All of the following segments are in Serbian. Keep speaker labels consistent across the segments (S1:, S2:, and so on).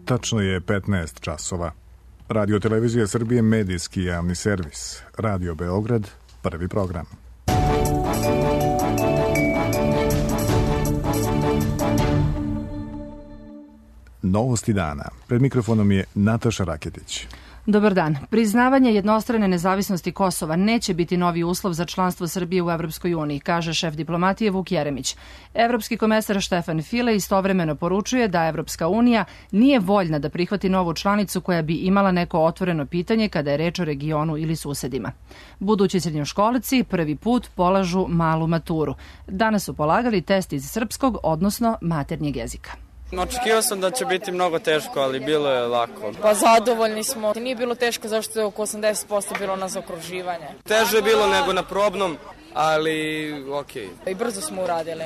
S1: Tačno je 15 časova. Radio Televizija Srbije, medijski javni servis. Radio Beograd, prvi program. Novosti dana. Pred mikrofonom je Nataša Raketić.
S2: Dobar dan. Priznavanje jednostrane nezavisnosti Kosova neće biti novi uslov za članstvo Srbije u Evropskoj uniji, kaže šef diplomatije Vuk Jeremić. Evropski komesar Štefan File istovremeno poručuje da Evropska unija nije voljna da prihvati novu članicu koja bi imala neko otvoreno pitanje kada je reč o regionu ili susedima. Budući srednjoškolci prvi put polažu malu maturu. Danas su polagali test iz srpskog, odnosno maternjeg jezika.
S3: Očekivao sam da će biti mnogo teško, ali bilo je lako.
S4: Pa zadovoljni smo. Nije bilo teško zašto je oko 80% bilo na zaokruživanje.
S3: Teže je bilo nego na probnom, ali okej.
S4: I brzo smo uradili.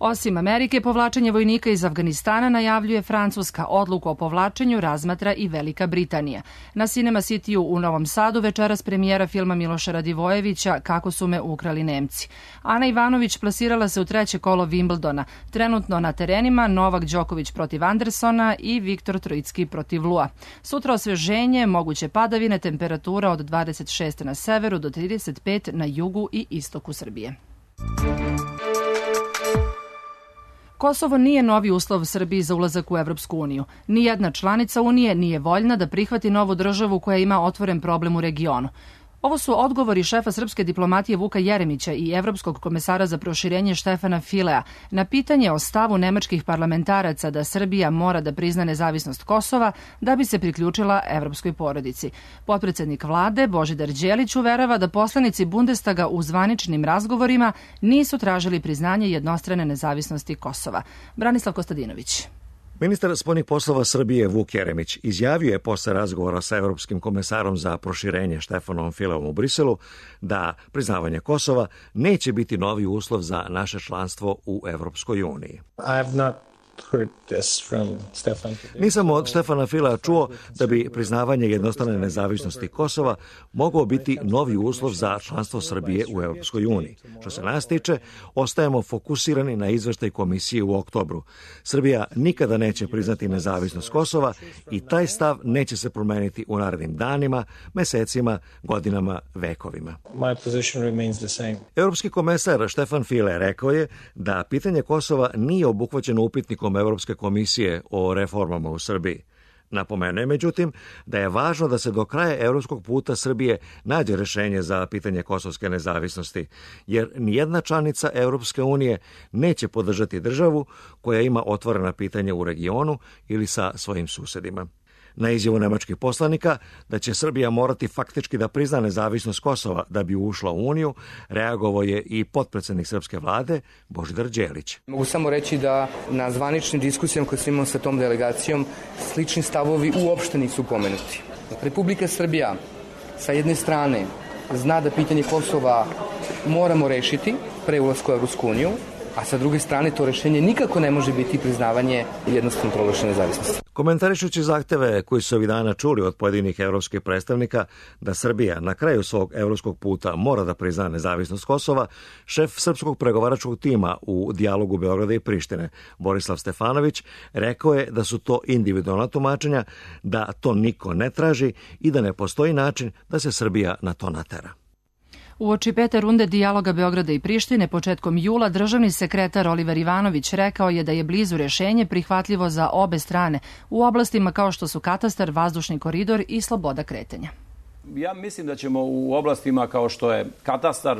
S2: Osim Amerike, povlačenje vojnika iz Afganistana najavljuje Francuska. Odluku o povlačenju razmatra i Velika Britanija. Na Cinema Cityu u Novom Sadu večeras premijera filma Miloša Radivojevića Kako su me ukrali Nemci. Ana Ivanović plasirala se u treće kolo Wimbledona. Trenutno na terenima Novak Đoković protiv Andersona i Viktor Trojicki protiv Lua. Sutra osveženje, moguće padavine, temperatura od 26 na severu do 35 na jugu i istoku Srbije. Kosovo nije novi uslov Srbiji za ulazak u Evropsku uniju. Nijedna članica Unije nije voljna da prihvati novu državu koja ima otvoren problem u regionu. Ovo su odgovori šefa srpske diplomatije Vuka Jeremića i evropskog komesara za proširenje Štefana Filea na pitanje o stavu nemačkih parlamentaraca da Srbija mora da prizna nezavisnost Kosova da bi se priključila evropskoj porodici. Potpredsednik vlade Božidar Đelić uverava da poslanici Bundestaga u zvaničnim razgovorima nisu tražili priznanje jednostrane nezavisnosti Kosova. Branislav Kostadinović.
S5: Ministar spoljnih poslova Srbije Vuk Jeremić izjavio je posle razgovora sa evropskim komesarom za proširenje Štefanom Fileom u Briselu da priznavanje Kosova neće biti novi uslov za naše članstvo u Evropskoj uniji. Nisam od Štefana Filea čuo da bi priznavanje jednostrane nezavisnosti Kosova mogao biti novi uslov za članstvo Srbije u Evropskoj uniji. Što se nas tiče, ostajemo fokusirani na izveštaj komisije u oktobru. Srbija nikada neće priznati nezavisnost Kosova i taj stav neće se promeniti u narednim danima, mesecima, godinama, vekovima. Evropski komesar Štefan File rekao je da pitanje Kosova nije obuhvaćeno upitnikom Evropske komisije o reformama u Srbiji. Napomenuo je, međutim, da je važno da se do kraja evropskog puta Srbije nađe rešenje za pitanje kosovske nezavisnosti, jer nijedna članica Evropske unije neće podržati državu koja ima otvorena pitanja u regionu ili sa svojim susedima. Na izjavu nemačkih poslanika da će Srbija morati faktički da prizna nezavisnost Kosova da bi ušla u Uniju, reagovao je i potpredsednik srpske vlade Božidar Đelić.
S6: Mogu samo reći da na zvaničnim diskusijama koje sam imao sa tom delegacijom slični stavovi uopšte nisu pomenuti. Republika Srbija sa jedne strane zna da pitanje Kosova moramo rešiti pre ulaska u Evropsku uniju, a sa druge strane to rešenje nikako ne može biti priznavanje jednostrano proglašene nezavisnosti.
S5: Komentarišući zahteve koji su ovih dana čuli od pojedinih evropskih predstavnika da Srbija na kraju svog evropskog puta mora da prizna nezavisnost Kosova, šef srpskog pregovaračkog tima u dijalogu Beograda i Prištine, Borislav Stefanović, rekao je da su to individualna tumačenja, da to niko ne traži i da ne postoji način da se Srbija na to natera.
S2: Uoči pete runde dijaloga Beograda i Prištine početkom jula državni sekretar Oliver Ivanović rekao je da je blizu rešenje prihvatljivo za obe strane u oblastima kao što su katastar, vazdušni koridor i sloboda kretanja.
S7: Ja mislim da ćemo u oblastima kao što je katastar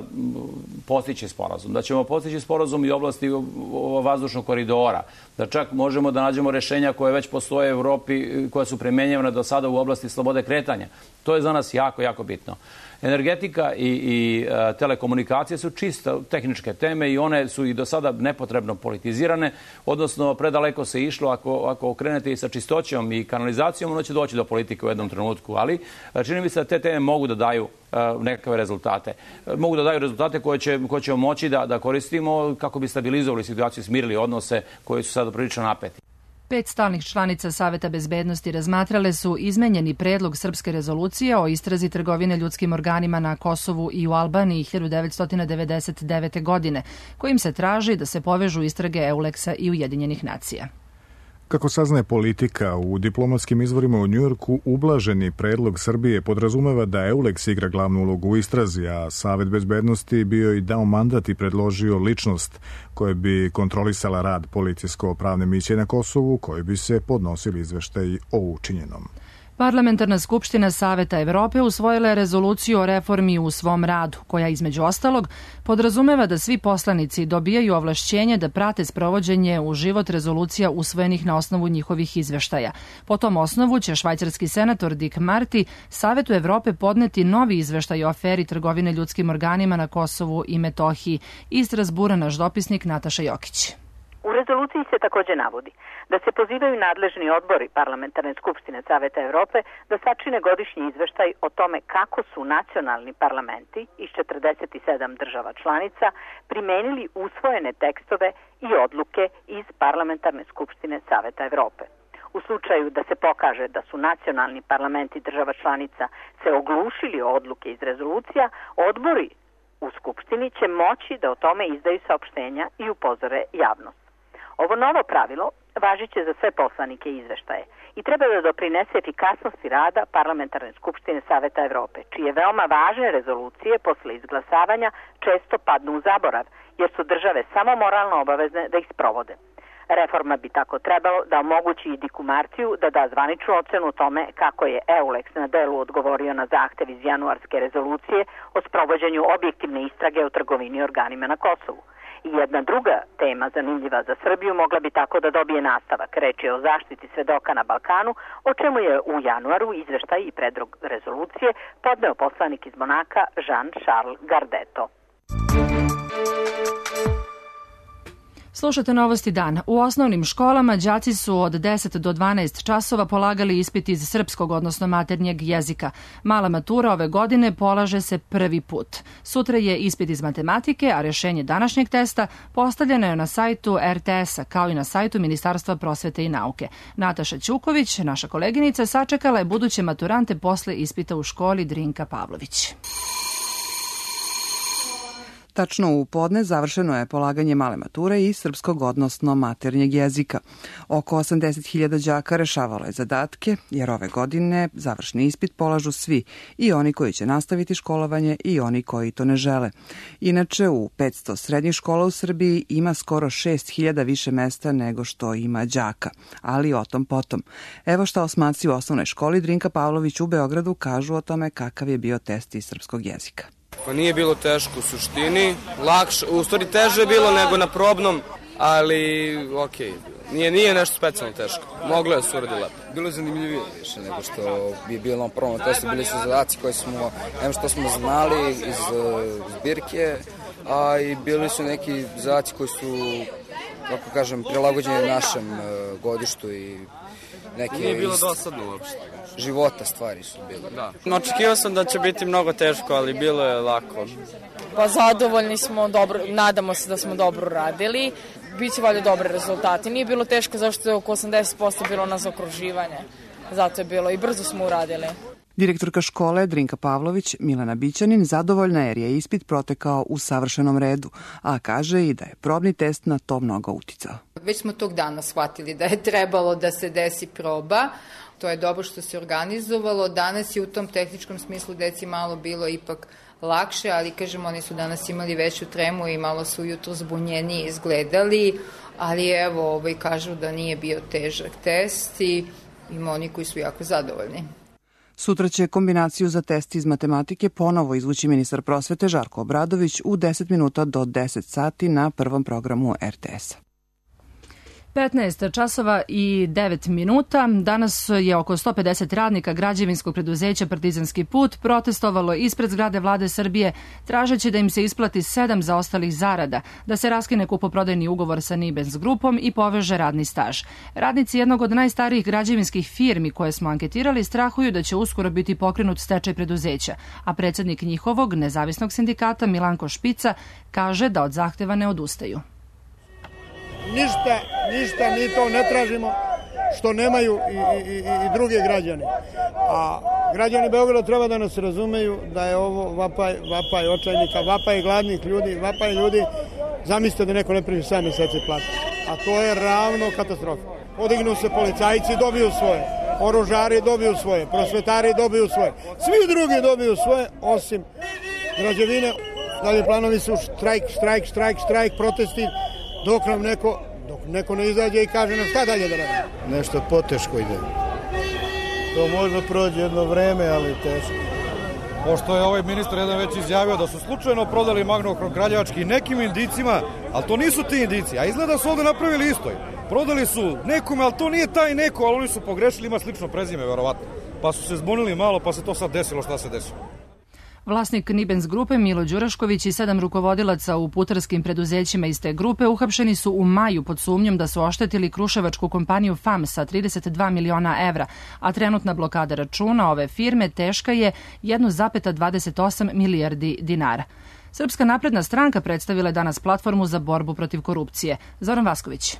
S7: postići sporazum. Da ćemo postići sporazum i u oblasti vazdušnog koridora. Da čak možemo da nađemo rešenja koje već postoje u Evropi, koja su primenjivana do sada u oblasti slobode kretanja. To je za nas jako, jako bitno. Energetika i telekomunikacije su čisto tehničke teme i one su i do sada nepotrebno politizirane, odnosno predaleko se išlo, ako okrenete i sa čistoćom i kanalizacijom, ono će doći do politike u jednom trenutku, ali čini mi se da te teme mogu da daju nekakve rezultate. Mogu da daju rezultate koje ćemo moći da koristimo kako bi stabilizovali situaciju, smirili odnose koji su sada prilično napeti.
S2: 5 stalnih članica Saveta bezbednosti razmatrale su izmenjeni predlog srpske rezolucije o istrazi trgovine ljudskim organima na Kosovu i u Albaniji 1999. godine, kojim se traži da se povežu istrage Euleksa i Ujedinjenih nacija.
S1: Kako saznaje Politika, u diplomatskim izvorima u Njujorku ublaženi predlog Srbije podrazumeva da EULEX igra glavnu ulogu u istrazi, a Savet bezbednosti bio i dao mandat i predložio ličnost koja bi kontrolisala rad policijsko-pravne misije na Kosovu, koji bi se podnosili izveštaji o učinjenom.
S2: Parlamentarna skupština Saveta Evrope usvojila je rezoluciju o reformi u svom radu, koja između ostalog podrazumeva da svi poslanici dobijaju ovlašćenje da prate sprovođenje u život rezolucija usvojenih na osnovu njihovih izveštaja. Po tom osnovu će švajcarski senator Dick Marty Savetu Evrope podneti novi izveštaj o aferi trgovine ljudskim organima na Kosovu i Metohiji. Iz Strasbura naš dopisnik Nataša Jokić.
S8: U rezoluciji se takođe navodi da se pozivaju nadležni odbori Parlamentarne skupštine Saveta Evrope da sačine godišnji izveštaj o tome kako su nacionalni parlamenti iz 47 država članica primenili usvojene tekstove i odluke iz Parlamentarne skupštine Saveta Evrope. U slučaju da se pokaže da su nacionalni parlamenti država članica se oglušili o odluke iz rezolucija, odbori u Skupštini će moći da o tome izdaju saopštenja i upozore javnost. Ovo novo pravilo važiće za sve poslanike i izveštaje i treba da doprinese efikasnosti rada Parlamentarne skupštine Saveta Evrope, čije veoma važne rezolucije posle izglasavanja često padnu u zaborav, jer su države samo moralno obavezne da ih sprovode. Reforma bi tako trebalo da omogući i Dicku Martiju da da zvaničnu ocenu tome kako je EULEX na delu odgovorio na zahtev iz januarske rezolucije o sprovođenju objektivne istrage o trgovini organima na Kosovu. I jedna druga tema zanimljiva za Srbiju mogla bi tako da dobije nastavak. Reč je o zaštiti svedoka na Balkanu, o čemu je u januaru izveštaj i predlog rezolucije podneo poslanik iz Monaka Jean-Charles Gardeto.
S2: Slušate Novosti dan. U osnovnim školama đaci su od 10 do 12 časova polagali ispit iz srpskog, odnosno maternjeg jezika. Mala matura ove godine polaže se prvi put. Sutra je ispit iz matematike, a rešenje današnjeg testa postavljeno je na sajtu RTS-a, kao i na sajtu Ministarstva prosvete i nauke. Nataša Ćuković, naša koleginica, sačekala je buduće maturante posle ispita u školi Drinka Pavlović.
S9: Tačno u podne završeno je polaganje male mature i srpskog, odnosno maternjeg jezika. Oko 80.000 đaka rešavalo je zadatke, jer ove godine završni ispit polažu svi, i oni koji će nastaviti školovanje i oni koji to ne žele. Inače, u 500 srednjih škola u Srbiji ima skoro 6.000 više mesta nego što ima đaka, ali o tom potom. Evo šta osmaci u osnovnoj školi Drinka Pavlović u Beogradu kažu o tome kakav je bio test iz srpskog jezika.
S3: Pa nije bilo teško u suštini, lakše, u stvari teže je bilo nego na probnom, ali okej, nije nešto specijalno teško, moglo je se uradi lepo.
S10: Bilo je zanimljivije više nego što bi bilo na prvom testu, bili su zadaci koji smo, što smo znali iz zbirke, a i bili su neki zadaci koji su, kako kažem, prilagođeni našem godištu i neke...
S3: Nije bilo dosadno uopšte.
S10: Života stvari su bile.
S3: Da. Očekivao sam da će biti mnogo teško, ali bilo je lako.
S4: Pa zadovoljni smo, dobro, nadamo se da smo dobro radili. Biće valjda dobre rezultati. Nije bilo teško zašto je oko 80% bilo na zaokruživanje. Zato je bilo i brzo smo uradili.
S9: Direktorka škole Drinka Pavlović, Milana Bićanin, zadovoljna jer je ispit protekao u savršenom redu, a kaže i da je probni test na to mnogo uticao.
S11: Već smo tog dana shvatili da je trebalo da se desi proba. To je dobro što se organizovalo. Danas je u tom tehničkom smislu deci malo bilo ipak lakše, ali kažem, oni su danas imali veću tremu i malo su ujutro zbunjeniji izgledali, ali evo, kažu da nije bio težak test i ima oni koji su jako zadovoljni.
S9: Sutra će kombinaciju za test iz matematike ponovo izvući ministar prosvete Žarko Obradović u 10 minuta do 10 sati na prvom programu RTS-a.
S2: 15 časova i 9 minuta. Danas je oko 150 radnika građevinskog preduzeća Partizanski put protestovalo ispred zgrade Vlade Srbije, tražeći da im se isplati 7 zaostalih zarada, da se raskine kupoprodajni ugovor sa Nibens grupom i poveže radni staž. Radnici jednog od najstarijih građevinskih firmi koje smo anketirali strahuju da će uskoro biti pokrenut stečaj preduzeća, a predsjednik njihovog nezavisnog sindikata Milanko Špica kaže da od zahteva ne odustaju.
S12: Ništa mi to ne tražimo što nemaju i druge građane. A građani Beograda treba da nas razumeju da je ovo vapaj očajnika, vapaj gladnih ljudi, vapaj ljudi. Zamislite da neko ne primi 7 meseci platu. A to je ravno katastrofa. podignu se policajci, dobiju svoje, oružari dobiju svoje, prosvetari dobiju svoje, svi drugi dobiju svoje, osim građevine. Dalje planovi su štrajk, protesti, dok neko ne izađe i kaže nam šta dalje da radi.
S13: Nešto poteško ide. To možda prođe jedno vreme, ali teško.
S14: Pošto je ovaj ministar jedan već izjavio da su slučajno prodali Magnohrom Kraljevački nekim indicima, ali to nisu ti indici, a izgleda su ovde napravili isto. Prodali su nekome, ali to nije taj neko, ali oni su pogrešili, ima slično prezime, verovatno. Pa su se zbunili malo, pa se to sad desilo šta se desilo.
S2: Vlasnik Nibens grupe Milo Đurašković i 7 rukovodilaca u putarskim preduzećima iz te grupe uhapšeni su u maju pod sumnjom da su oštetili kruševačku kompaniju FAM sa 32 miliona evra, a trenutna blokada računa ove firme teška je 1,28 milijardi dinara. Srpska napredna stranka predstavila je danas platformu za borbu protiv korupcije. Zoran Vasković.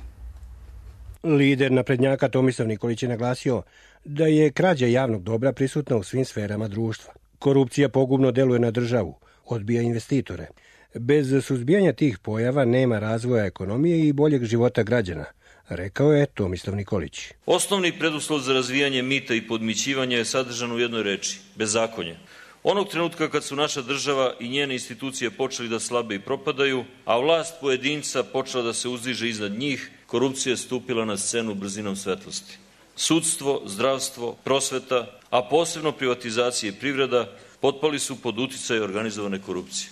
S15: Lider naprednjaka Tomislav Nikolić je naglasio da je krađa javnog dobra prisutna u svim sferama društva. Korupcija pogubno deluje na državu, odbija investitore. Bez suzbijanja tih pojava nema razvoja ekonomije i boljeg života građana, rekao je Tomislav Nikolić.
S16: Osnovni preduslov za razvijanje mita i podmićivanja je sadržan u jednoj reči – bezakonje. Onog trenutka kad su naša država i njene institucije počeli da slabe i propadaju, a vlast pojedinca počela da se uzdiže iznad njih, korupcija je stupila na scenu brzinom svetlosti. Sudstvo, zdravstvo, prosveta, a posebno privatizacija i privreda potpali su pod uticaj organizovane korupcije.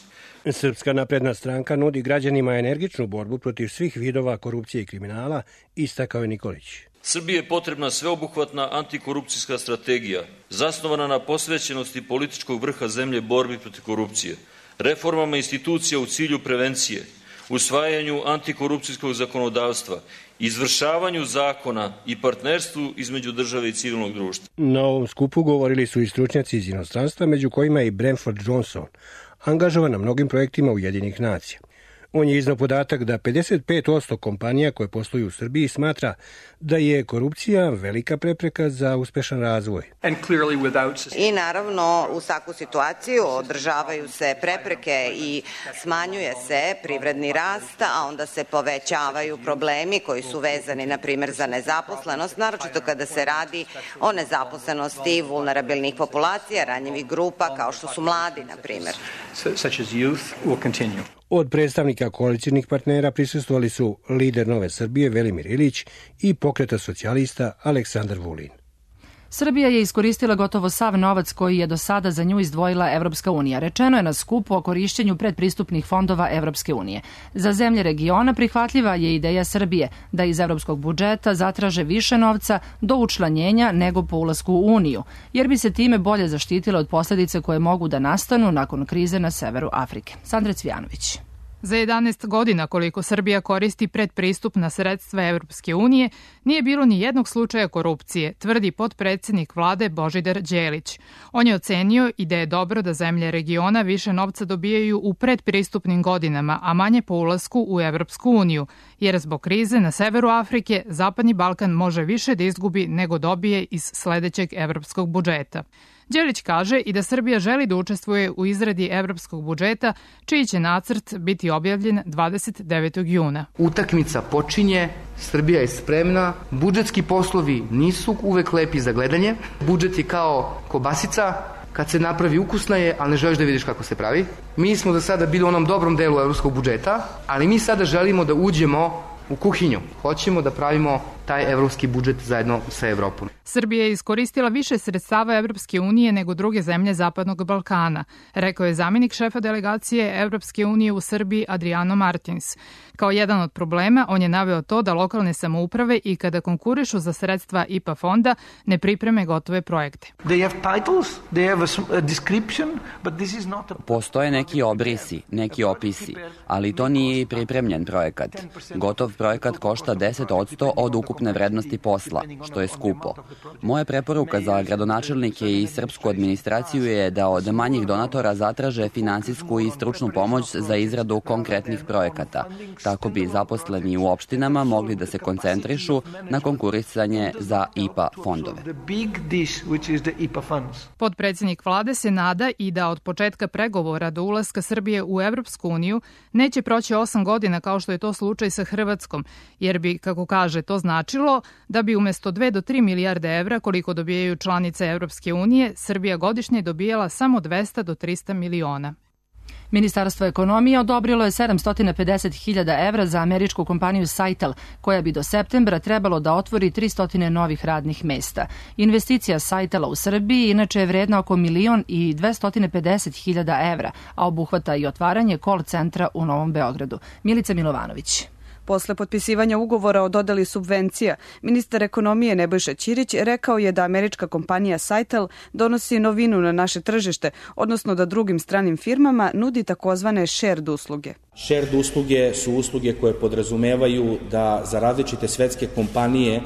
S15: Srpska napredna stranka nudi građanima energičnu borbu protiv svih vidova korupcije i kriminala, istakao je Nikolić.
S16: Srbiji je potrebna sveobuhvatna antikorupcijska strategija, zasnovana na posvećenosti političkog vrha zemlje borbi protiv korupcije, reformama institucija u cilju prevencije, usvajanju antikorupcijskog zakonodavstva, izvršavanju zakona i partnerstvu između države i civilnog društva.
S15: Na ovom skupu govorili su i stručnjaci iz inostranstva, među kojima je i Bramford Johnson, angažovan na mnogim projektima Ujedinjenih nacija. On je iznao podatak da 55% kompanija koje posluju u Srbiji smatra da je korupcija velika prepreka za uspešan razvoj.
S17: I naravno u svaku situaciju održavaju se prepreke i smanjuje se privredni rast, a onda se povećavaju problemi koji su vezani na primjer za nezaposlenost, naročito kada se radi o nezaposlenosti vulnerabilnih populacija, ranjivih grupa kao što su mladi na primjer.
S15: Od predstavnika koalicijnih partnera prisustvovali su lider Nove Srbije Velimir Ilić i Pokreta socijalista Aleksandar Vulin.
S2: Srbija je iskoristila gotovo sav novac koji je do sada za nju izdvojila Evropska unija. Rečeno je na skupu o korišćenju predpristupnih fondova Evropske unije. Za zemlje regiona prihvatljiva je ideja Srbije da iz evropskog budžeta zatraže više novca do učlanjenja nego po ulasku u Uniju, jer bi se time bolje zaštitile od posljedica koje mogu da nastanu nakon krize na severu Afrike. Sandra Cvijanović.
S18: Za 11 godina koliko Srbija koristi predpristupna sredstva Evropske unije, nije bilo ni jednog slučaja korupcije, tvrdi potpredsjednik vlade Božidar Đelić. On je ocenio i da je dobro da zemlje regiona više novca dobijaju u predpristupnim godinama, a manje po ulasku u Evropsku uniju, jer zbog krize na severu Afrike Zapadni Balkan može više da izgubi nego dobije iz sledećeg evropskog budžeta. Đelić kaže i da Srbija želi da učestvuje u izradi evropskog budžeta, čiji će nacrt biti objavljen 29. juna.
S6: Utakmica počinje, Srbija je spremna, budžetski poslovi nisu uvek lepi za gledanje, budžet je kao kobasica, kad se napravi ukusna je, ali ne želiš da vidiš kako se pravi. Mi smo do sada bili u onom dobrom delu evropskog budžeta, ali mi sada želimo da uđemo u kuhinju. Hoćemo da pravimo taj evropski budžet zajedno sa Evropom.
S18: Srbija je iskoristila više sredstava Evropske unije nego druge zemlje Zapadnog Balkana, rekao je zamjenik šefa delegacije Evropske unije u Srbiji Adriano Martins. Kao jedan od problema on je naveo to da lokalne samouprave i kada konkurišu za sredstva IPA fonda ne pripreme gotove projekte.
S19: Postoje neki obrisi, neki opisi, ali to nije i pripremljen projekat. Gotov projekat košta 10% od ukupne vrednosti posla, što je skupo. Moja preporuka za gradonačelnike i srpsku administraciju je da od manjih donatora zatraže finansijsku i stručnu pomoć za izradu konkretnih projekata. Tako bi zaposleni u opštinama mogli da se koncentrišu na konkurisanje za IPA fondove.
S18: Potpredsjednik vlade se nada i da od početka pregovora do ulaska Srbije u Evropsku uniju neće proći 8 godina kao što je to slučaj sa Hrvatskom Hrvatskom, jer bi, kako kaže, to značilo da bi umjesto 2 do 3 milijarde evra, koliko dobijaju članice Evropske unije, Srbija godišnje dobijala samo 200 do 300 miliona.
S2: Ministarstvo ekonomije odobrilo je 750.000 evra za američku kompaniju Saitel, koja bi do septembra trebalo da otvori 300 novih radnih mesta. Investicija Saitela u Srbiji inače je vredna oko 1.250.000 evra, a obuhvata i otvaranje call centra u Novom Beogradu. Milica Milovanović.
S20: Posle potpisivanja ugovora o dodeli subvencija, ministar ekonomije Nebojša Ćirić rekao je da američka kompanija Saitel donosi novinu na naše tržište, odnosno da drugim stranim firmama nudi takozvane shared usluge.
S21: Shared usluge su usluge koje podrazumevaju da za različite svetske kompanije,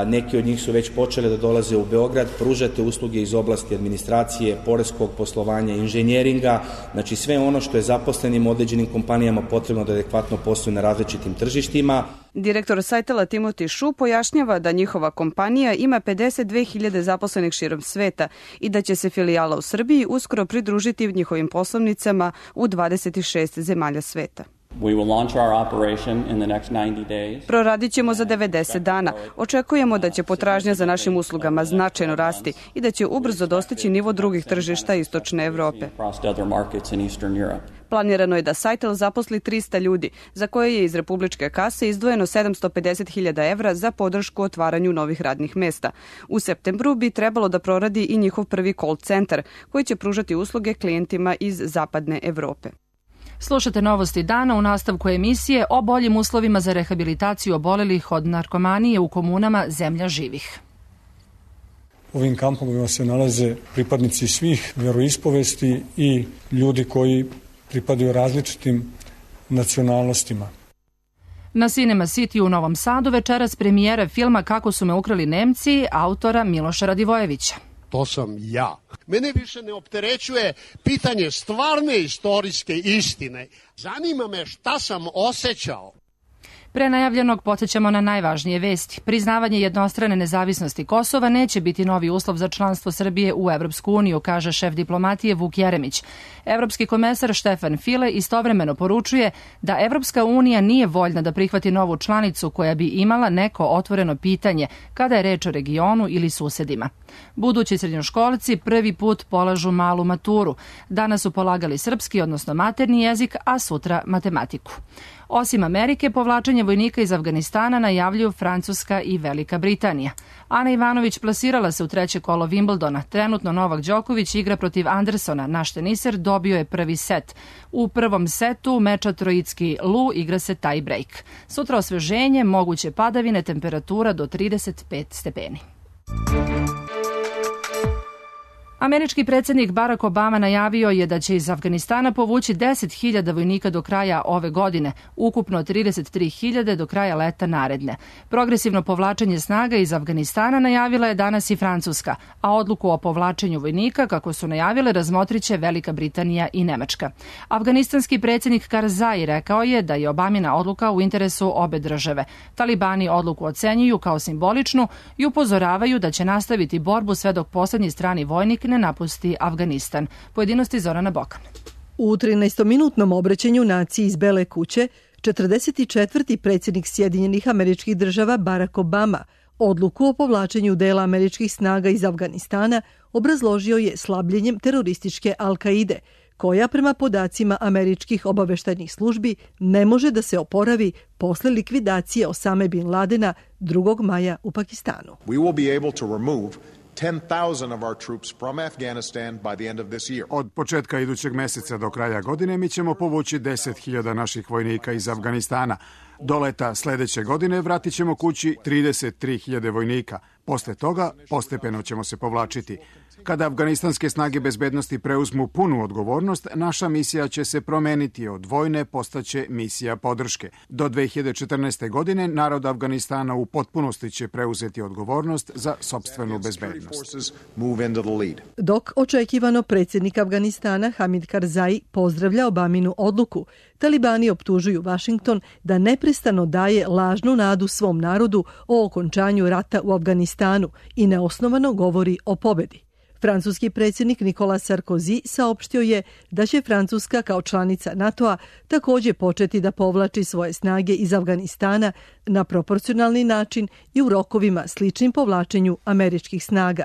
S21: neki od njih su već počele da dolaze u Beograd, pružate usluge iz oblasti administracije, poreskog poslovanja, inženjeringa, znači sve ono što je zaposlenim određenim kompanijama potrebno da adekvatno posluju na različitim tržištima.
S20: Direktor Saitela Timoti Šu pojašnjava da njihova kompanija ima 52.000 zaposlenih širom sveta i da će se filijala u Srbiji uskoro pridružiti njihovim poslovnicama u 26 zemalja sveta. Proradit ćemo za 90 dana. Očekujemo da će potražnja za našim uslugama značajno rasti i da će ubrzo dostići nivo drugih tržišta Istočne Evrope. Planirano je da Saitel zaposli 300 ljudi, za koje je iz republičke kase izdvojeno 750.000 evra za podršku otvaranju novih radnih mesta. U septembru bi trebalo da proradi i njihov prvi call centar, koji će pružati usluge klijentima iz Zapadne Evrope.
S2: Slušate novosti dana u nastavku emisije o boljim uslovima za rehabilitaciju obolelih od narkomanije u komunama Zemlja živih.
S22: U ovim kampovima se nalaze pripadnici svih veroispovesti i ljudi koji pripadaju različitim nacionalnostima.
S2: Na Cinema City u Novom Sadu večeras premijera filma Kako su me ukrali Nemci, autora Miloša Radivojevića.
S23: To sam ja. Mene više ne opterećuje pitanje stvarne istorijske istine. Zanima me šta sam osjećao.
S2: Pre najavljenog podsjećamo na najvažnije vesti. Priznavanje jednostrane nezavisnosti Kosova neće biti novi uslov za članstvo Srbije u Evropsku uniju, kaže šef diplomatije Vuk Jeremić. Evropski komesar Štefan File istovremeno poručuje da Evropska unija nije voljna da prihvati novu članicu koja bi imala neko otvoreno pitanje kada je reč o regionu ili susedima. Budući srednjoškolci prvi put polažu malu maturu. Danas su polagali srpski, odnosno maternji jezik, a sutra matematiku. Osim Amerike, povlačenje vojnika iz Afganistana najavljuju Francuska i Velika Britanija. Ana Ivanović plasirala se u treće kolo Wimbledona. Trenutno Novak Đoković igra protiv Andersona. Naš teniser dobio je prvi set. U prvom setu meča Trojicki Lu igra se tie break. Sutra osveženje, moguće padavine, temperatura do 35 stepeni. Američki predsjednik Barack Obama najavio je da će iz Afganistana povući 10.000 vojnika do kraja ove godine, ukupno 33.000 do kraja leta naredne. Progresivno povlačenje snaga iz Afganistana najavila je danas i Francuska, a odluku o povlačenju vojnika, kako su najavile, razmotriće Velika Britanija i Nemačka. Afganistanski predsjednik Karzai rekao je da je Obamina odluka u interesu obe države. Talibani odluku ocenjuju kao simboličnu i upozoravaju da će nastaviti borbu sve dok posljednji strani vojnik ne napusti Afganistan. Pojedinosti Zorana Bokan.
S24: U 13-minutnom obraćanju naciji iz Bele kuće, 44. predsjednik Sjedinjenih Američkih Država Barack Obama odluku o povlačenju dela američkih snaga iz Afganistana obrazložio je slabljenjem terorističke Al-Kaide, koja prema podacima američkih obaveštajnih službi ne može da se oporavi posle likvidacije Osame bin Ladena 2. maja u Pakistanu.
S25: We will be able to remove 10,000 of our troops from Afghanistan by the end of this year.
S26: Od početka idućeg meseca do kraja godine mi ćemo povući 10.000 naših vojnika iz Afganistana. Do leta sledeće godine vratit ćemo kući 33.000 vojnika. Posle toga postepeno ćemo se povlačiti. Kada afganistanske snage bezbednosti preuzmu punu odgovornost, naša misija će se promeniti, od vojne postaće misija podrške. Do 2014. godine narod Afganistana u potpunosti će preuzeti odgovornost za sopstvenu bezbednost.
S24: Dok očekivano predsjednik Afganistana Hamid Karzai pozdravlja Obaminu odluku, talibani optužuju Washington da neprestano daje lažnu nadu svom narodu o okončanju rata u Afganistanu i neosnovano govori o pobedi. Francuski predsjednik Nicolas Sarkozy saopštio je da će Francuska kao članica NATO-a također početi da povlači svoje snage iz Afganistana na proporcionalni način i u rokovima sličnim povlačenju američkih snaga.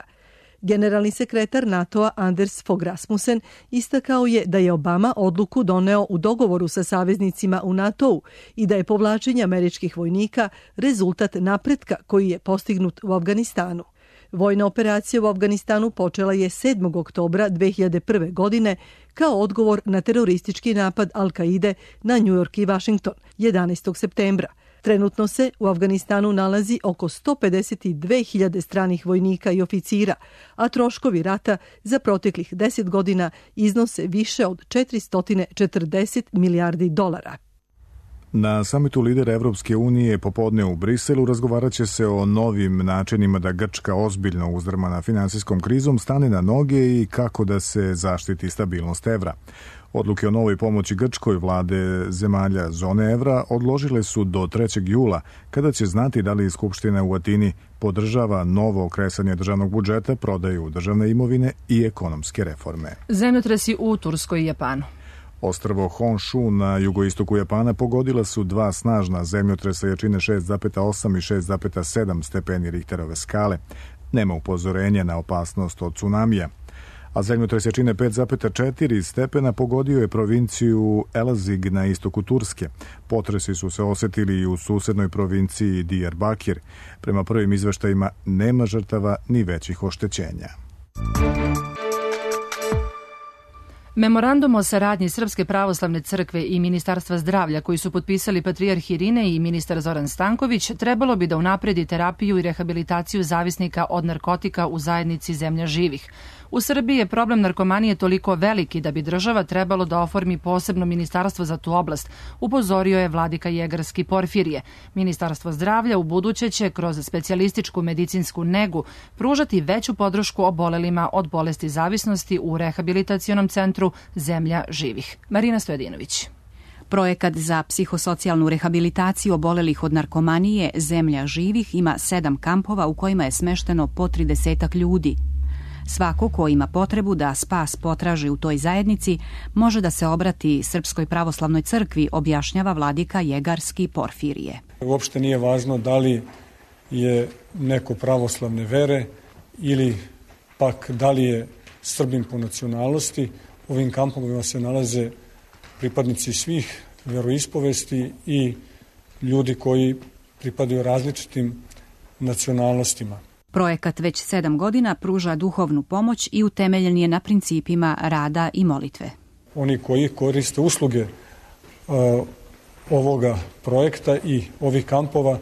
S24: Generalni sekretar NATO-a Anders Fogh Rasmussen istakao je da je Obama odluku doneo u dogovoru sa saveznicima u NATO-u i da je povlačenje američkih vojnika rezultat napretka koji je postignut u Afganistanu. Vojna operacija u Afganistanu počela je 7. oktobra 2001. godine kao odgovor na teroristički napad Al-Kaide na New York i Washington 11. septembra. Trenutno se u Afganistanu nalazi oko 152.000 stranih vojnika i oficira, a troškovi rata za proteklih 10 godina iznose više od 440 milijardi dolara.
S1: Na samitu lidera Evropske unije popodne u Briselu razgovarat će se o novim načinima da Grčka ozbiljno uzdrmana finansijskom krizom stane na noge i kako da se zaštiti stabilnost evra. Odluke o novoj pomoći Grčkoj vlade zemalja zone evra odložile su do 3. jula, kada će znati da li Skupština u Atini podržava novo kresanje državnog budžeta, prodaju državne imovine i ekonomske reforme.
S2: Zemljotresi u Turskoj i Japanu.
S1: Ostrvo Honshu na jugoistoku Japana pogodila su dva snažna zemljotresa jačine 6,8 i 6,7 stepeni Richterove skale. Nema upozorenja na opasnost od tsunamija. A zemljotres jačine 5,4 stepena pogodio je provinciju Elazig na istoku Turske. Potresi su se osetili i u susednoj provinciji Diyarbakir. Prema prvim izveštajima nema žrtava ni većih oštećenja.
S2: Memorandum o saradnji Srpske pravoslavne crkve i Ministarstva zdravlja koji su potpisali patrijarh Irine i ministar Zoran Stanković trebalo bi da unapredi terapiju i rehabilitaciju zavisnika od narkotika u zajednici zemlja živih. U Srbiji je problem narkomanije toliko veliki da bi država trebalo da oformi posebno ministarstvo za tu oblast, upozorio je vladika Jegarski Porfirije. Ministarstvo zdravlja u buduće će kroz specijalističku medicinsku negu pružati veću podršku obolelima od bolesti zavisnosti u rehabilitacionom centru Zemlja živih. Marina Stojadinović.
S3: Projekat za psihosocijalnu rehabilitaciju obolelih od narkomanije Zemlja živih ima 7 kampova u kojima je smešteno po 30 ljudi. Svako ko ima potrebu da spas potraži u toj zajednici može da se obrati Srpskoj pravoslavnoj crkvi, objašnjava vladika Jegarski Porfirije.
S22: Uopšte nije važno da li je neko pravoslavne vere ili pak da li je Srbin po nacionalnosti. U ovim kampovima se nalaze pripadnici svih veroispovesti i ljudi koji pripadaju različitim nacionalnostima.
S3: Projekat već 7 godina pruža duhovnu pomoć i utemeljen je na principima rada i molitve.
S22: Oni koji koriste usluge ovoga projekta i ovih kampova,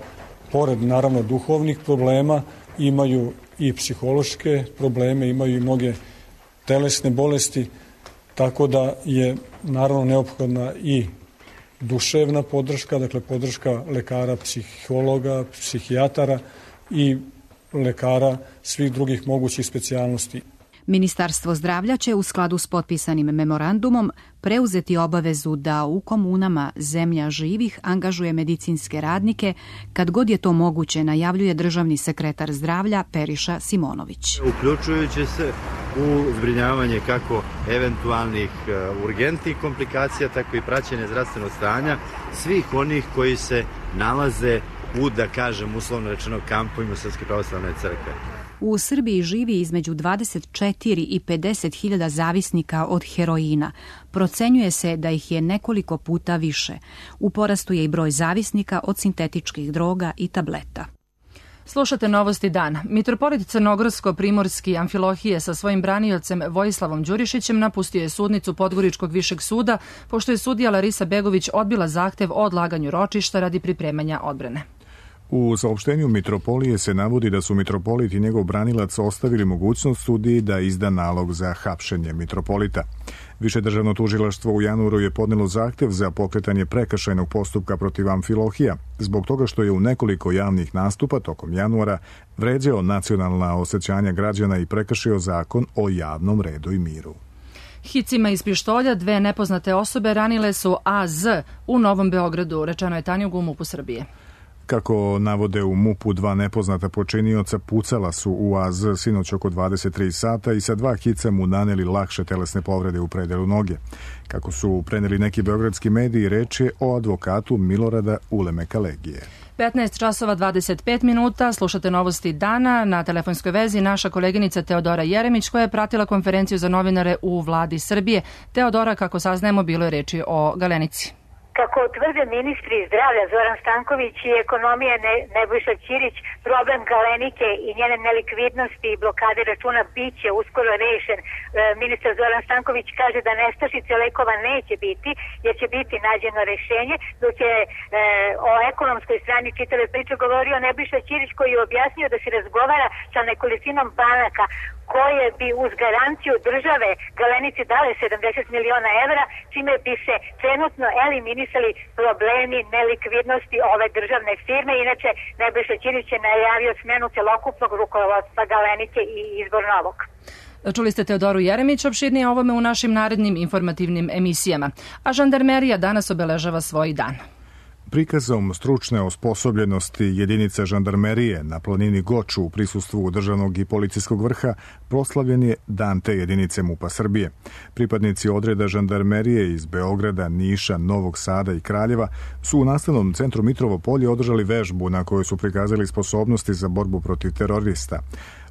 S22: pored naravno duhovnih problema, imaju i psihološke probleme, imaju i mnoge telesne bolesti, tako da je naravno neophodna i duševna podrška, dakle podrška lekara, psihologa, psihijatara i lekara svih drugih mogućih specijalnosti.
S3: Ministarstvo zdravlja će u skladu s potpisanim memorandumom preuzeti obavezu da u komunama Zemlja živih angažuje medicinske radnike kad god je to moguće, najavljuje državni sekretar zdravlja Periša Simonović.
S5: Uključujući se u zbrinjavanje kako eventualnih urgentnih komplikacija, tako i praćenje zdravstvenog stanja svih onih koji se nalaze u, da kažem, uslovno rečeno, kampovima Srpske pravoslavne crkve.
S3: U Srbiji živi između 24 i 50 hiljada zavisnika od heroina. Procenjuje se da ih je nekoliko puta više. U porastu je i broj zavisnika od sintetičkih droga i tableta.
S2: Slušate Novosti dana. Mitropolit Crnogorsko-Primorski Amfilohije sa svojim braniocem Vojislavom Đurišićem napustio je sudnicu Podgoričkog višeg suda, pošto je sudija Larisa Begović odbila zahtev o odlaganju ročišta radi pripremanja odbrane.
S1: U saopštenju Mitropolije se navodi da su mitropolit i njegov branilac ostavili mogućnost sudiji da izda nalog za hapšenje mitropolita. Više državno tužilaštvo u januaru je podnelo zahtev za pokretanje prekršajnog postupka protiv Amfilohija, zbog toga što je u nekoliko javnih nastupa tokom januara vređao nacionalna osjećanja građana i prekršio zakon o javnom redu i miru.
S2: Hicima iz pištolja 2 nepoznate osobe ranile su AZ u Novom Beogradu, rečeno je Tanjug u MUP-u Srbije.
S1: Kako navode u MUP-u, 2 nepoznata počinioca pucala su u AZ sinoć oko 23 sata i sa 2 hica mu naneli lakše telesne povrede u predelu noge. Kako su preneli neki beogradski mediji, reč je o advokatu Milorada Ulemeka Legije.
S2: 15 časova 25 minuta, slušate novosti dana. Na telefonskoj vezi naša koleginica Teodora Jeremić, koja je pratila konferenciju za novinare u vladi Srbije. Teodora, kako saznajemo, bilo je reči o Galenici.
S4: Kako tvrde ministri zdravlja Zoran Stanković i ekonomije Nebojša Ćirić, problem Galenike i njene nelikvidnosti i blokade računa biće uskoro rešen. Ministar Zoran Stanković kaže da nestašice lekova neće biti, jer će biti nađeno rešenje, dok je o ekonomskoj strani čitave priče govorio Nebojša Ćirić, koji je objasnio da se razgovara sa nekolicinom banaka koje bi uz garanciju države Galenici dale 70 miliona evra, čime bi se trenutno eliminisali problemi nelikvidnosti ove državne firme. Inače, Nebojša Ćirić je najavio smenu celokupnog rukovodstva Galenike i izbor novog.
S2: Čuli ste Teodoru Jeremić, opširnije o ovome u našim narednim informativnim emisijama. A žandarmerija danas obeležava svoj dan.
S1: Prikazom stručne osposobljenosti jedinica žandarmerije na planini Goču u prisustvu državnog i policijskog vrha proslavljen je dan te jedinice MUP-a Srbije. Pripadnici odreda žandarmerije iz Beograda, Niša, Novog Sada i Kraljeva su u nastavnom centru Mitrovo polje održali vežbu na kojoj su prikazali sposobnosti za borbu protiv terorista.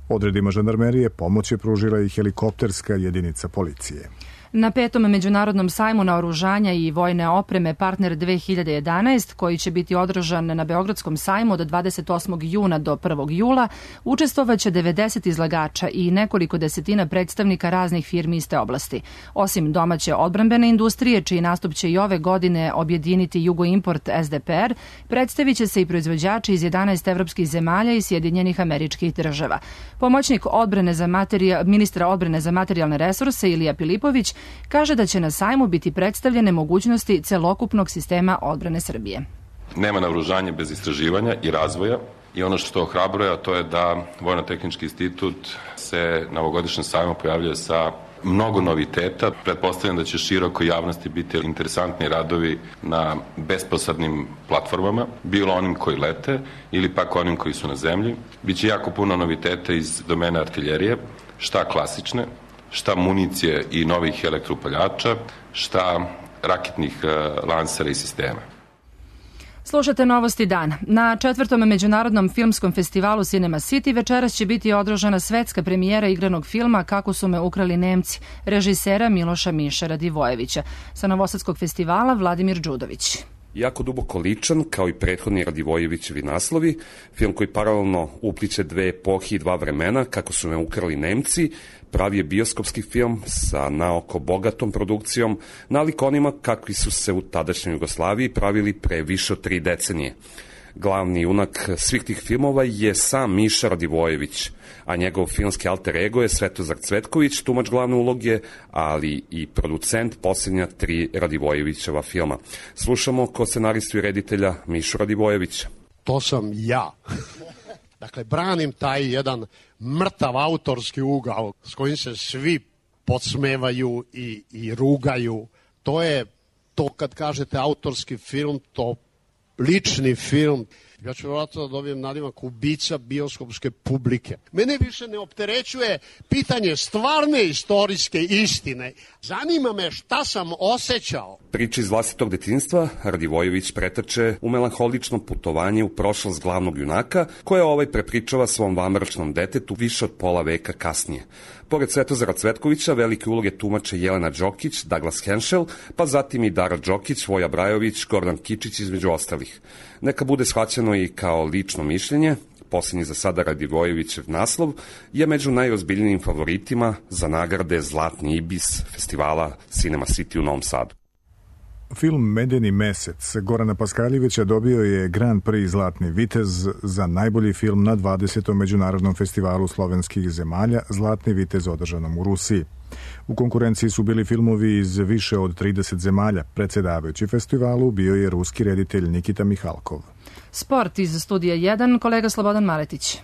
S1: Odredima žandarmerije pomoć je pružila i helikopterska jedinica policije.
S2: Na 5. međunarodnom sajmu naoružanja i vojne opreme Partner 2011, koji će biti održan na Beogradskom sajmu od 28. juna do 1. jula, učestvovaće 90 izlagača i nekoliko desetina predstavnika raznih firmi iz te oblasti. Osim domaće odbrambene industrije, čiji nastup će i ove godine objediniti Jugoimport SDPR, predstavit će se i proizvođači iz 11 evropskih zemalja i Sjedinjenih Američkih Država. Pomoćnik ministra odbrane za materijalne resurse Ilija Pilipović kaže da će na sajmu biti predstavljene mogućnosti celokupnog sistema odbrane Srbije.
S7: Nema naoružanja bez istraživanja i razvoja i ono što ohrabruje, a to je da Vojno-tehnički institut se na ovogodišnjem sajmu pojavljuje sa mnogo noviteta. Pretpostavljam da će široko javnosti biti interesantni radovi na besposadnim platformama, bilo onim koji lete ili pak onim koji su na zemlji. Biće jako puno noviteta iz domena artiljerije, šta klasične, šta municije i novih elektroupaljača, šta raketnih lansera i sistema.
S2: Slušate novosti dana. Na 4. međunarodnom filmskom festivalu Cinema City večeras će biti održana svetska premijera igranog filma Kako su me ukrali Nemci, režisera Miloša Miše Radivojevića. Sa Novosadskog festivala Vladimir Đudović.
S8: Jako duboko ličan, kao i prethodni Radivojevićevi naslovi, film koji paralelno upliče 2 epohi i 2 vremena, Kako su me ukrali Nemci, pravi je bioskopski film sa naoko bogatom produkcijom, nalik onima kakvi su se u tadašnjoj Jugoslaviji pravili pre više od 3 decenije. Glavni junak svih tih filmova je sam Miša Radivojević, a njegov filmski alter ego je Svetozar Cvetković, tumač glavne uloge, ali i producent posljednja 3 Radivojevićeva filma. Slušamo ko scenaristu i reditelja Mišu Radivojevića.
S23: To sam ja. Dakle, branim taj jedan mrtav autorski ugao s kojim se svi podsmevaju i rugaju. To je to kad kažete autorski film, to lični film. Ja ću vjerojatno da dobijem nadimak ubica bioskopske publike. Mene više ne opterećuje pitanje stvarne istorijske istine. Zanima me šta sam osjećao.
S8: Priče iz vlastitog detinjstva Radivojević pretače u melanholično putovanje u prošlost glavnog junaka, koje prepričava svom vanbračnom detetu više od pola veka kasnije. Pored Svetozara Cvetkovića, velike uloge tumače Jelena Đokić, Douglas Henschel, pa zatim i Dara Đokić, Voja Brajović, Gordan Kičić između ostalih. Neka bude shvaćeno i kao lično mišljenje, posljednji za sada Radivojevićev naslov je među najozbiljnijim favoritima za nagrade Zlatni ibis festivala Cinema City u Novom Sadu.
S1: Film Medeni mesec Gorana Paskaljevića dobio je Grand Prix Zlatni vitez za najbolji film na 20. međunarodnom festivalu slovenskih zemalja Zlatni vitez održanom u Rusiji. U konkurenciji su bili filmovi iz više od 30 zemalja. Predsjedavajući festivalu bio je ruski reditelj Nikita Mihalkov.
S2: Sport iz studija 1, kolega Slobodan Maletić.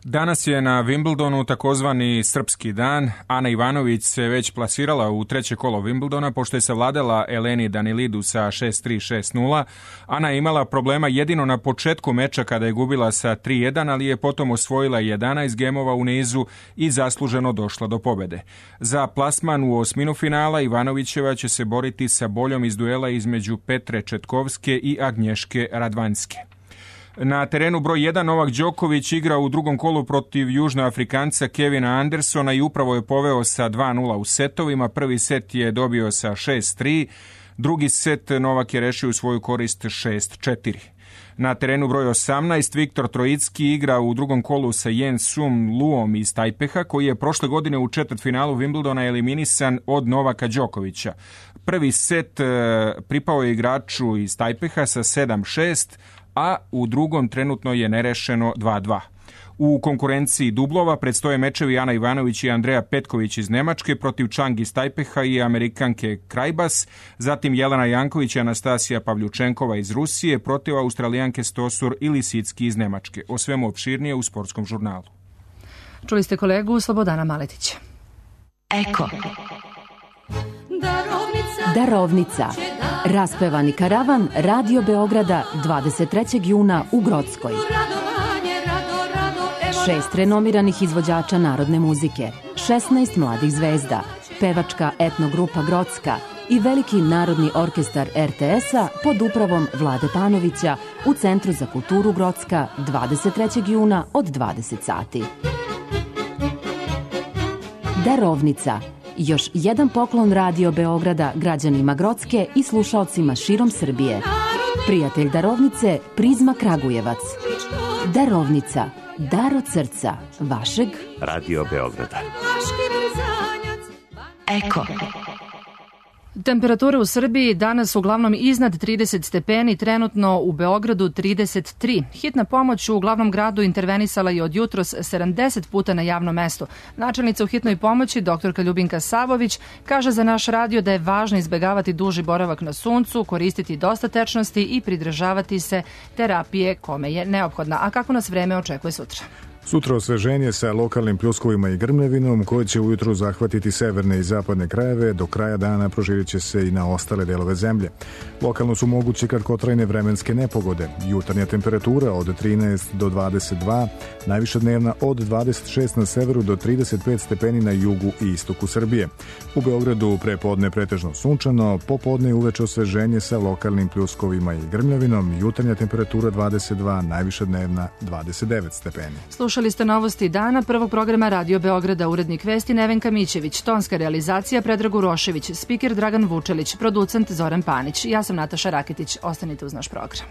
S9: Danas je na Wimbledonu takozvani srpski dan. Ana Ivanović se već plasirala u treće kolo Wimbledona pošto je savladala Eleni Danilidu sa 6-3, 6-0. Ana je imala problema jedino na početku meča kada je gubila sa 3-1, ali je potom osvojila 11 gemova u nizu i zasluženo došla do pobede. Za plasman u osminu finala Ivanovićeva će se boriti sa boljom iz duela između Petre Četkovske i Agnješke Radvanjske. Na terenu broj 1 Novak Đoković igra u drugom kolu protiv Južnoafrikanca Kevina Andersona i upravo je poveo sa 2-0 u setovima. Prvi set je dobio sa 6-3, drugi set Novak je rešio u svoju korist 6-4. Na terenu broj 18 Viktor Trojicki igra u drugom kolu sa Jen-Sum Luom iz Tajpeha, koji je prošle godine u četvrtfinalu Wimbledona eliminisan od Novaka Đokovića. Prvi set pripao je igraču iz Tajpeha sa 7-6, a u drugom trenutno je nerešeno 2-2. U konkurenciji dublova predstoje mečevi Ana Ivanović i Andreja Petković iz Nemačke protiv Čang iz Tajpeha i Amerikanke Krajbas, zatim Jelena Janković i Anastasija Pavljučenkova iz Rusije protiv Australijanke Stosur i Lisicki iz Nemačke. O svemu opširnije u Sportskom žurnalu.
S2: Čuli ste kolegu Slobodana Maletića.
S10: Eko. Darovnica. Raspevani karavan Radio Beograda 23. juna u Grockoj. 6 renomiranih izvođača narodne muzike, 16 mladih zvezda, pevačka etnogrupa Grocka i veliki narodni orkestar RTS-a pod upravom Vlade Panovića u Centru za kulturu Grocka 23. juna od 20 sati. Darovnica. Još jedan poklon Radio Beograda građanima Grocke i slušaocima širom Srbije. Prijatelj darovnice Prizma Kragujevac. Darovnica. Dar od srca vašeg
S11: Radio Beograda.
S10: Eko.
S2: Temperature u Srbiji danas uglavnom iznad 30 stepeni, trenutno u Beogradu 33. Hitna pomoć u glavnom gradu intervenisala je od jutros 70 puta na javnom mestu. Načelnica u hitnoj pomoći, doktorka Ljubinka Savović, kaže za naš radio da je važno izbegavati duži boravak na suncu, koristiti dosta tečnosti i pridržavati se terapije kome je neophodna. A kako nas vreme očekuje sutra?
S1: Sutra osveženje sa lokalnim pljuskovima i grmljavinom koje će ujutru zahvatiti severne i zapadne krajeve, do kraja dana proširit će se i na ostale delove zemlje. Lokalno su moguće kratkotrajne vremenske nepogode. Jutarnja temperatura od 13 do 22, najviša dnevna od 26 na severu do 35 stepeni na jugu i istoku Srbije. U Beogradu prepodne pretežno sunčano, popodne i uveče osveženje sa lokalnim pljuskovima i grmljavinom, jutarnja temperatura 22, najviša dnevna 29 stepeni.
S2: Slušali ste novosti dana prvog programa Radio Beograda, urednik vesti Nevenka Mićević, tonska realizacija Predrag Urošević, spiker Dragan Vučelić, producent Zoran Panić. Ja sam Nataša Raketić. Ostanite uz naš program.